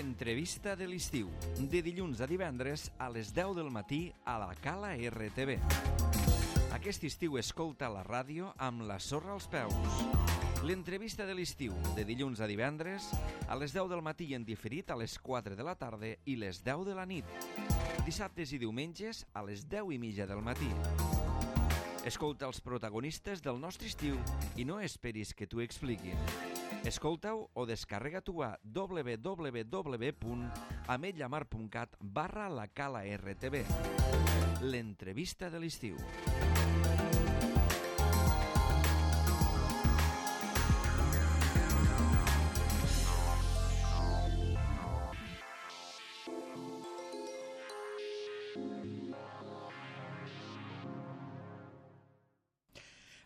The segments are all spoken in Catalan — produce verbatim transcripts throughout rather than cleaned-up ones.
L'entrevista de l'estiu, de dilluns a divendres a les deu del matí a la Cala R T V. Aquest estiu escolta la ràdio amb la sorra als peus. L'entrevista de l'estiu, de dilluns a divendres a les deu del matí i en diferit a les quatre de la tarda i les deu de la nit. Dissabtes i diumenges a les deu i mitja del matí. Escolta els protagonistes del nostre estiu i no esperis que t'ho expliquin. Escolta-ho o descarrega-t'ho a w w w punt ametlllamar punt cat barra la Cala R T V. L'entrevista de l'estiu.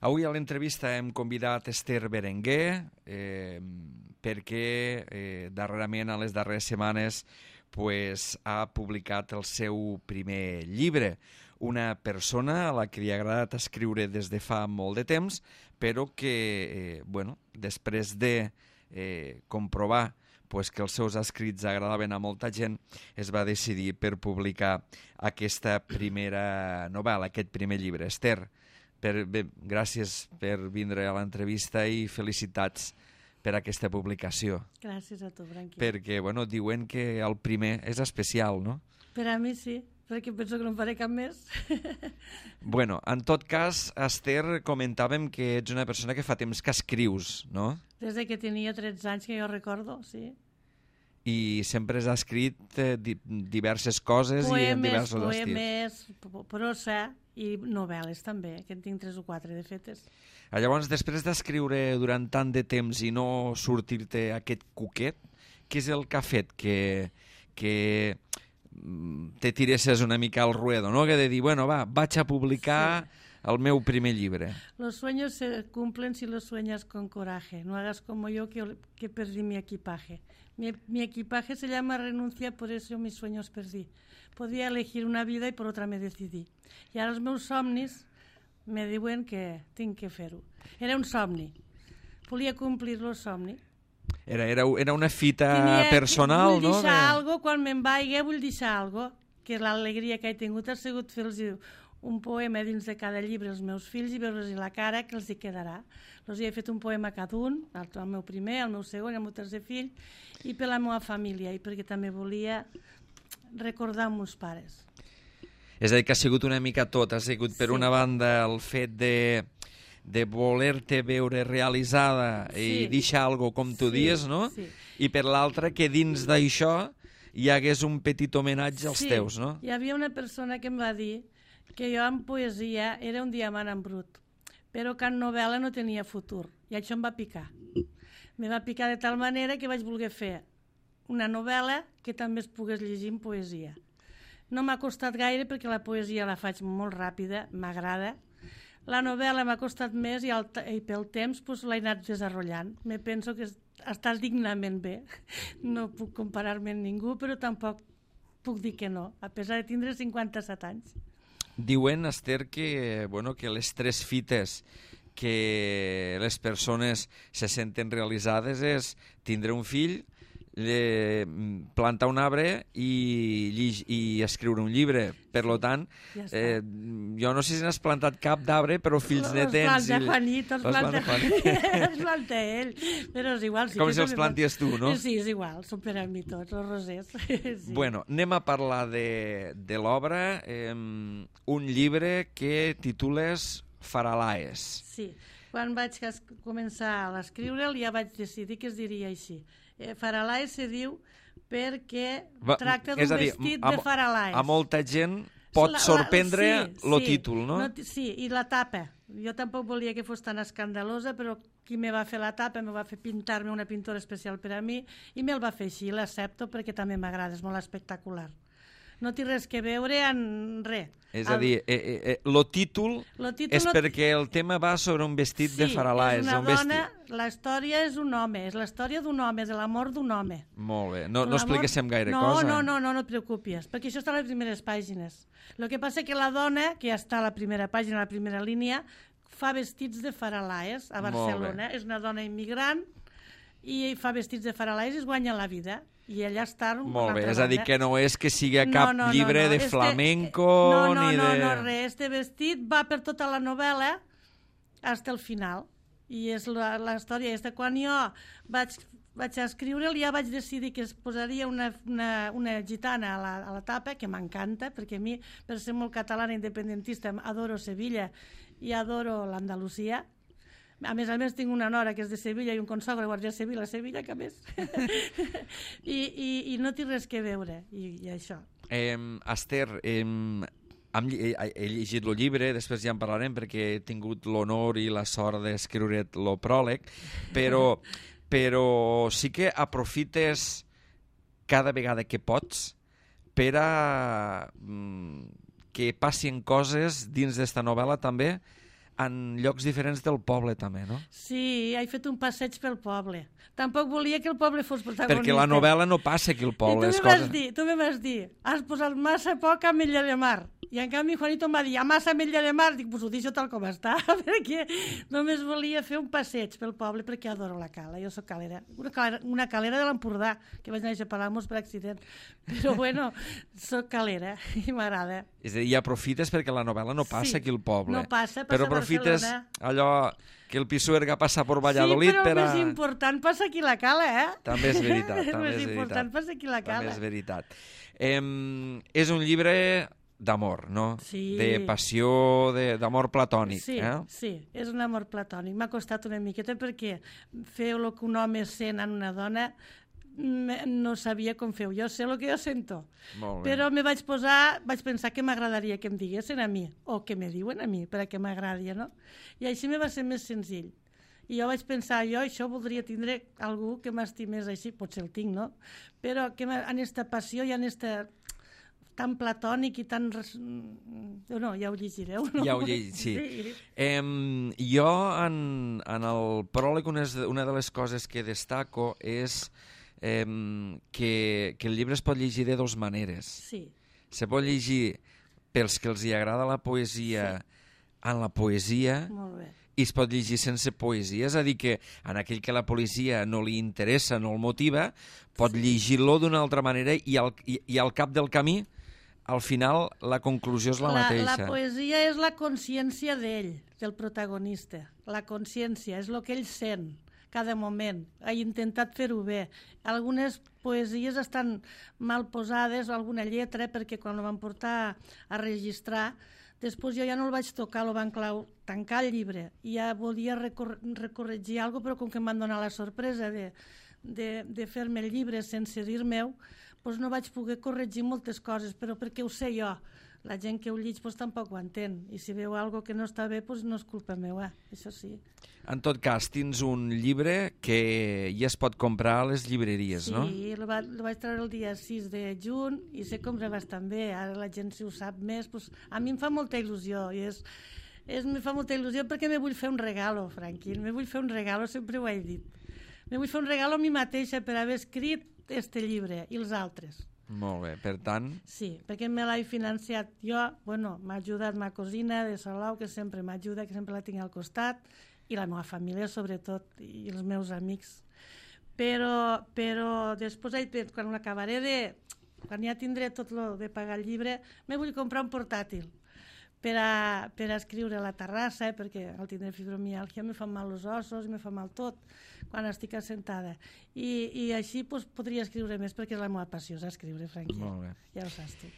Avui a l'entrevista hem convidat Esther Berenguer eh, perquè eh, darrerament, a les darreres setmanes, pues, ha publicat el seu primer llibre. Una persona a la que li ha agradat escriure des de fa molt de temps, però que, eh, bueno, després de eh, comprovar pues, que els seus escrits agradaven a molta gent, es va decidir per publicar aquesta primera novel·la, aquest primer llibre. Esther, Per, bé, gràcies per vindre a l'entrevista i felicitats per aquesta publicació. Gràcies a tu, Branqui. Perquè, bueno, diuen que el primer és especial, no? Per a mi sí, perquè penso que no en faré cap més. Bueno, en tot cas, Esther, comentàvem que ets una persona que fa temps que escrius, no? Des de que tenia tretze anys, que jo recordo, sí. I sempre has escrit eh, di diverses coses poemes, i en diversos poemes, estils. Poemes, prosa i novel·les també, que en tinc tres o quatre de fetes. Llavors, després d'escriure durant tant de temps i no sortir-te aquest cuquet, què és el que ha fet que, que te tiresses una mica al ruedo, no? Que de dir, bueno, va, vaig a publicar sí. el meu primer llibre. Los sueños se cumplen si los sueñas con coraje. No hagas como yo que, que perdí mi equipaje. Mi, mi equipaje se llama renuncia, por eso mis sueños perdí. Podía elegir una vida i per otra me decidí. I ara els meus somnis me diuen que tinc que fer-ho. Era un somni. Volia complir el somni. Era, era, era una fita Tenia, personal, vull no? Vull deixar de... algo, quan me'n vaig, vull deixar algo, que l'alegria que he tingut ha sigut fer-los un poema dins de cada llibre als meus fills i veure-los la cara que els hi quedarà. Els he fet un poema a cada un, el meu primer, el meu segon, el meu tercer fill, i per la meva família, i perquè també volia recordar els meus pares. És a dir, que ha sigut una mica tot. Ha sigut, per sí. una banda, el fet de, de voler-te veure realitzada sí. i deixar alguna cosa, com tu sí. dies, no? Sí. I per l'altra, que dins d'això hi hagués un petit homenatge als sí. teus, no? Hi havia una persona que em va dir que jo en poesia era un diamant en brut, però que en novel·la no tenia futur, i això em va picar. Me va picar de tal manera que vaig voler fer una novel·la que també es pogués llegir en poesia. No m'ha costat gaire perquè la poesia la faig molt ràpida, m'agrada. La novel·la m'ha costat més i, el, i pel temps pues, l'he anat desenvolupant. Me penso que està dignament bé. No puc comparar-me amb ningú, però tampoc puc dir que no, a pesar de tindre cinquanta-set anys. Diuen, Esther, que, bueno, que les tres fites que les persones se senten realitzades és tindre un fill, eh, plantar un arbre i, i escriure un llibre. Per lo tant, ja eh, jo no sé si n'has plantat cap d'arbre, però fills ne tens. Els planta Juanito, els planta, els planta ell, però és igual. Sí, com si els planties tu, no? Sí, és igual, són per a mi tots, els rosers. Sí. Bueno, anem a parlar de, de l'obra, eh, un llibre que titules Faralaes. Sí, quan vaig començar a l'escriure'l ja vaig decidir que es diria així. Eh, Faralaes se diu perquè Va, tracta d'un vestit a, de Faralaes. A molta gent pot la, sorprendre el sí, sí, títol, no? no? Sí, i la tapa. Jo tampoc volia que fos tan escandalosa, però qui me va fer la tapa me va fer pintar-me una pintura especial per a mi i me'l va fer així, l'accepto perquè també m'agrada, és molt espectacular. No té res que veure en res. És a dir, eh, eh, eh, lo títol, lo títol és no... perquè el tema va sobre un vestit sí, de Faralaes. Sí, és una un dona, vestit. La història és un home, és la història d'un home, és l'amor d'un home. Molt bé, no, no expliquéssim gaire no, cosa. No, no, no, no et preocupis, perquè això està a les primeres pàgines. El que passa que la dona, que ja està a la primera pàgina, a la primera línia, fa vestits de Faralaes a Barcelona. És una dona immigrant i fa vestits de faralais i es guanya la vida. I ella està... Molt bé, és a dir, que no és que sigui cap no, no, llibre no, no. de Este, flamenco no, no, ni no, de... No, no, res. Este vestit va per tota la novel·la fins al final. I és la, la història. És de quan jo vaig, vaig escriure'l, ja vaig decidir que es posaria una, una, una gitana a la, a la tapa, que m'encanta, perquè a mi, per ser molt catalana independentista, adoro Sevilla i adoro l'Andalusia. A més a més tinc una nora que és de Sevilla i un consogre guardia civil a Sevilla, que a més. I, i, I no té res que veure, i, i això. Eh, Esther, eh, hem, he, he llegit el llibre, després ja en parlarem perquè he tingut l'honor i la sort d'escriure el pròleg, però, però sí que aprofites cada vegada que pots per a mm, que passin coses dins d'esta novel·la també en llocs diferents del poble també, no? Sí, he fet un passeig pel poble. Tampoc volia que el poble fos protagonista. Perquè la novel·la no passa aquí al poble. I tu me vas dir, tu me vas dir, has posat massa poc a Ametlla de Mar. I en canvi Juanito em va dir, a massa Ametlla de Mar. Dic, pues ho deixo tal com està, perquè només volia fer un passeig pel poble, perquè adoro la cala. Jo soc calera. Una calera, una calera de l'Empordà, que vaig néixer a Palamós per accident. Però bueno, soc calera i m'agrada. És a dir, i aprofites perquè la novel·la no passa sí, aquí al poble. No passa, passa però aprofites a Barcelona. Allò que el Pisuerga passa per Valladolid. Sí, però el per a... més important passa aquí la cala, eh? També és veritat. El també més és important veritat. passa aquí la cala. També és veritat. Eh, és un llibre d'amor, no? Sí. De passió, d'amor platònic. Sí, eh? sí, és un amor platònic. M'ha costat una miqueta perquè fer el que un home sent en una dona no sabia com feu. Jo sé el que jo sento. Molt bé. Però me vaig posar, vaig pensar que m'agradaria que em diguessin a mi, o que me diuen a mi, perquè m'agradi, no? I així me va ser més senzill. I jo vaig pensar, jo això voldria tindre algú que m'estimés així, potser el tinc, no? Però que en esta passió i en esta tan platònic i tan... No, ja ho llegireu, no? Ja ho llegireu, sí. sí. Eh, jo, en, en el pròleg, una, una de les coses que destaco és eh, que, que el llibre es pot llegir de dues maneres. Sí. Se pot llegir pels que els hi agrada la poesia sí. en la poesia, molt bé. I es pot llegir sense poesia, és a dir que en aquell que la poesia no li interessa, no el motiva, pot sí. llegir-lo d'una altra manera i al, i, i al cap del camí, al final, la conclusió és la, la mateixa. La poesia és la consciència d'ell, del protagonista. La consciència, és el que ell sent cada moment. Ha intentat fer-ho bé. Algunes poesies estan mal posades, alguna lletra, perquè quan ho van portar a registrar, després jo ja no el vaig tocar, el van clau, tancar el llibre. I ja volia recor recorregir alguna cosa, però com que em van donar la sorpresa de, de, de fer-me el llibre sense dir meu, doncs no vaig poder corregir moltes coses, però perquè ho sé jo. La gent que ho llig doncs, tampoc ho entén. I si veu alguna que no està bé, doncs no és culpa meva, això sí. En tot cas, tens un llibre que ja es pot comprar a les llibreries, sí, no? Sí, el, va, el vaig treure el dia sis de juny i se compra bastant bé. Ara la gent, si ho sap més, doncs, a mi em fa molta il·lusió. I és, és, me fa molta il·lusió perquè me vull fer un regalo, Franquín. Me vull fer un regalo, sempre ho he dit. Me vull fer un regalo a mi mateixa per haver escrit este llibre i els altres. Molt bé, per tant... Sí, perquè me l'he financiat jo, bueno, m'ha ajudat ma cosina de Salou, que sempre m'ajuda, que sempre la tinc al costat, i la meva família, sobretot, i els meus amics. Però, però després, quan l'acabaré de... Quan ja tindré tot lo de pagar el llibre, me vull comprar un portàtil per a, per a escriure a la terrassa, eh, perquè al tindre fibromialgia me fan mal els ossos, me fa mal tot quan estic assentada. I, i així pues, podria escriure més, perquè és la meva passió, és escriure, Franqui. Molt bé. Ja ho saps tu.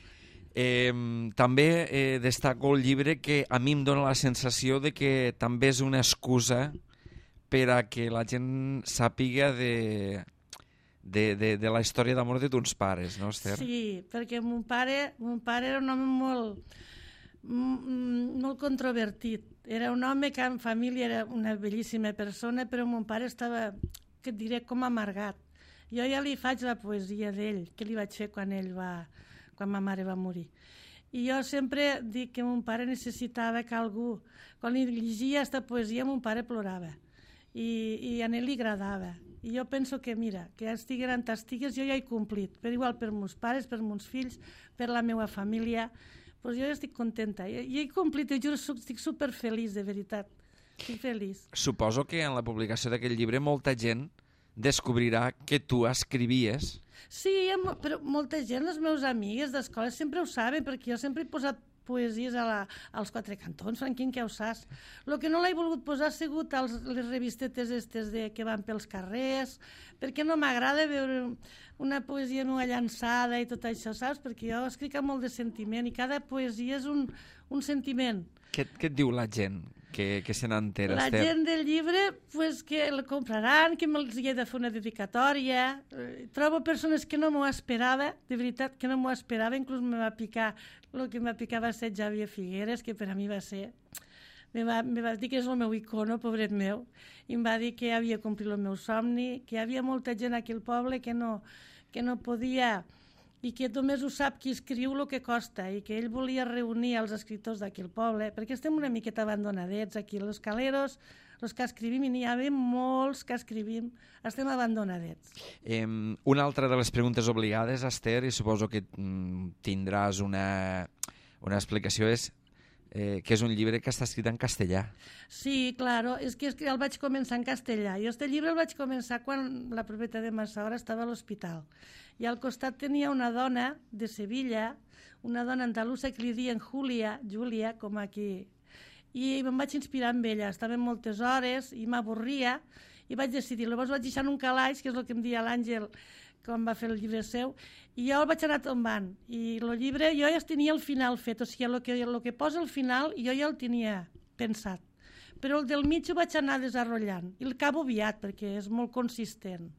Eh, també eh, destaco el llibre que a mi em dóna la sensació de que també és una excusa per a que la gent sàpiga de, de, de, de la història d'amor de tons pares, no, Esther? Sí, perquè mon pare, mon pare era un home molt, molt controvertit. Era un home que en família era una bellíssima persona, però mon pare estava, que et diré, com amargat. Jo ja li faig la poesia d'ell, que li vaig fer quan ell va... quan ma mare va morir. I jo sempre dic que mon pare necessitava que algú... Quan li llegia aquesta poesia, mon pare plorava. I, i a ell li agradava. I jo penso que, mira, que estiguin on estigues, jo ja he complit. Per igual per meus pares, per meus fills, per la meva família. Pues jo estic contenta. I, i he complit, te juro, estic superfeliç, de veritat. Estic feliç. Suposo que en la publicació d'aquest llibre molta gent descobrirà que tu escrivies. Sí, però molta gent, les meves amigues d'escola, sempre ho saben, perquè jo sempre he posat poesies a la, als quatre cantons, Franquín, que ho saps. El que no l'he volgut posar ha sigut als, les revistetes estes de, que van pels carrers, perquè no m'agrada veure una poesia nua llançada i tot això, saps? Perquè jo escric amb molt de sentiment i cada poesia és un, un sentiment. Què, què et diu la gent que, que se n'entera, La Esther? gent del llibre, pues, que el compraran, que me'ls hi he de fer una dedicatòria. Eh, trobo persones que no m'ho esperava, de veritat que no m'ho esperava, inclús me va picar, el que em va picar va ser Xavier Figueres, que per a mi va ser... Me va, me va dir que és el meu icono, pobret meu, i em va dir que havia complit el meu somni, que hi havia molta gent aquí al poble que no, que no podia... i que només ho sap qui escriu el que costa, i que ell volia reunir els escriptors d'aquí al poble, perquè estem una miqueta abandonadets aquí, els caleros, els que escrivim, i n'hi ha molts que escrivim, estem abandonadets. Eh, una altra de les preguntes obligades, Esther, i suposo que mm, tindràs una, una explicació, és eh, que és un llibre que està escrit en castellà. Sí, claro, és que, és que el vaig començar en castellà. Jo este llibre el vaig començar quan la propietat de Massaora estava a l'hospital. I al costat tenia una dona de Sevilla, una dona andalusa que li diuen Júlia, Júlia, com aquí. I me'n vaig inspirar amb ella. Estàvem moltes hores i m'avorria i vaig decidir. Llavors vaig deixar en un calaix, que és el que em deia l'Àngel quan va fer el llibre seu, i jo el vaig anar tombant. I el llibre jo ja tenia el final fet, o sigui, el que, el que posa al final jo ja el tenia pensat. Però el del mig ho vaig anar desenvolupant i el acabo aviat perquè és molt consistent.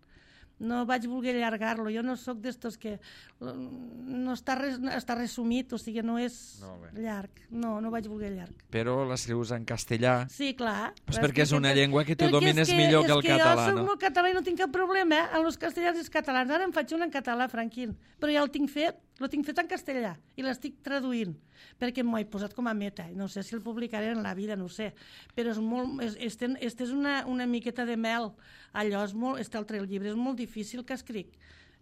No vaig voler allargar-lo, jo no sóc d'estos que no està, res, està resumit, o sigui, no és no, llarg, no, no vaig voler llarg. Però l'escrius en castellà? Sí, clar. Pues perquè és una llengua que tu domines que, millor que el que català, no? És que jo soc no? molt català i no tinc cap problema, eh? En els castellans i els catalans. Ara em faig un en català, Franquín, però ja el tinc fet, el tinc fet en castellà i l'estic traduint, perquè m'ho he posat com a meta. No sé si el publicaré en la vida, no ho sé, però és molt, és, este, este és una, una miqueta de mel. Allò és molt, este altre llibre és molt difícil que escric,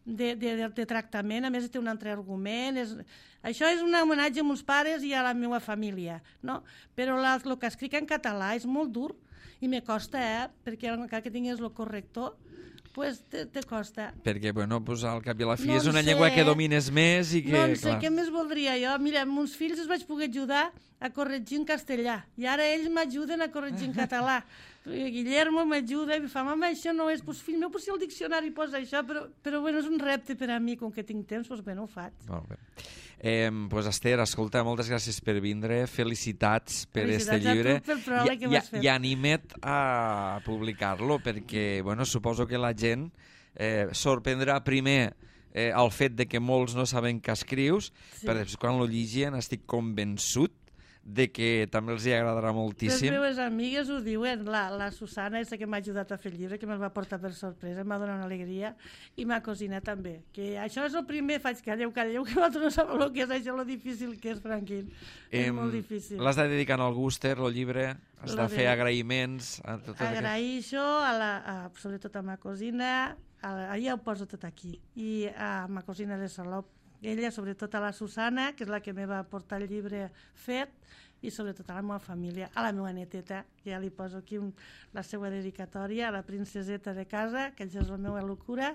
de, de, de tractament, a més té un altre argument, és, això és un homenatge a meus pares i a la meva família, no? Però la, el que escric en català és molt dur i me costa, eh? Perquè encara que tinguis el corrector, pues te, te costa. Perquè, bueno, pues al cap i a la fi no és una sé. llengua que domines més i que... No en sé, clar. Què més voldria jo? Mira, amb uns fills els vaig poder ajudar a corregir en castellà i ara ells m'ajuden a corregir en català. Guillermo m'ajuda i em fa, mama, això no és, pues, fill meu, pues, si el diccionari posa això, però, però bueno, és un repte per a mi, com que tinc temps, pues, bueno, ho faig. Molt bé. Eh, pues Esther, escolta, moltes gràcies per vindre, felicitats per Felicitats este llibre a tu pel pròleg que m'has fet. I anima't a publicar-lo, perquè, bueno, suposo que la gent eh, sorprendrà primer eh, el fet de que molts no saben que escrius, sí. Però després quan lo llegien estic convençut de que també els hi agradarà moltíssim. Les meves amigues ho diuen, la, la Susana, aquesta que m'ha ajudat a fer el llibre, que me'l va portar per sorpresa, em va donar una alegria, i ma cosina també, que això és el primer, faig calleu, calleu, que vosaltres no sabeu el que és això, lo difícil que és, Franquín. És molt difícil. L'has de dedicar al Gúster, el llibre, has de fer agraïments. A tot Agraïixo, a la, a, sobretot a ma cosina, a, allà ho poso tot aquí, i a ma cosina de Salop, ella, sobretot a la Susana, que és la que me va portar el llibre fet, i sobretot a la meva família, a la meva neteta, que ja li poso aquí un, la seva dedicatòria, a la princeseta de casa, que és la meva locura.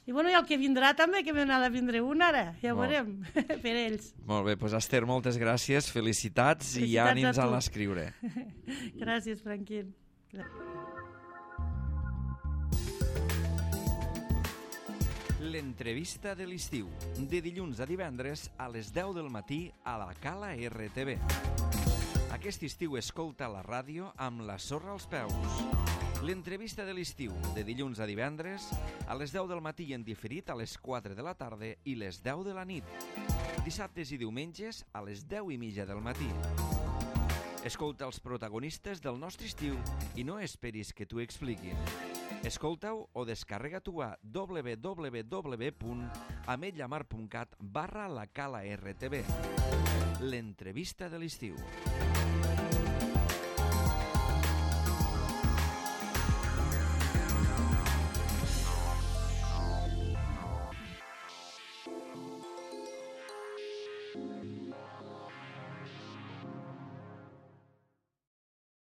I bueno, i el que vindrà també, que m'ha de vindre un ara, ja ho veurem, per ells. Molt bé, doncs Esther, moltes gràcies, felicitats, felicitats i ànims a, a l'escriure. Gràcies, Franquín. Gràcies. L'entrevista de l'estiu, de dilluns a divendres a les deu del matí a la Cala R T V. Aquest estiu escolta la ràdio amb la sorra als peus. L'entrevista de l'estiu, de dilluns a divendres a les deu del matí i en diferit a les quatre de la tarda i les deu de la nit. Dissabtes i diumenges a les deu i mitja del matí. Escolta els protagonistes del nostre estiu i no esperis que t'ho expliquin. Escolta-ho o descarrega-t'ho a w w w punt ametlllamar punt cat barra la cala R T V. L'entrevista de l'estiu.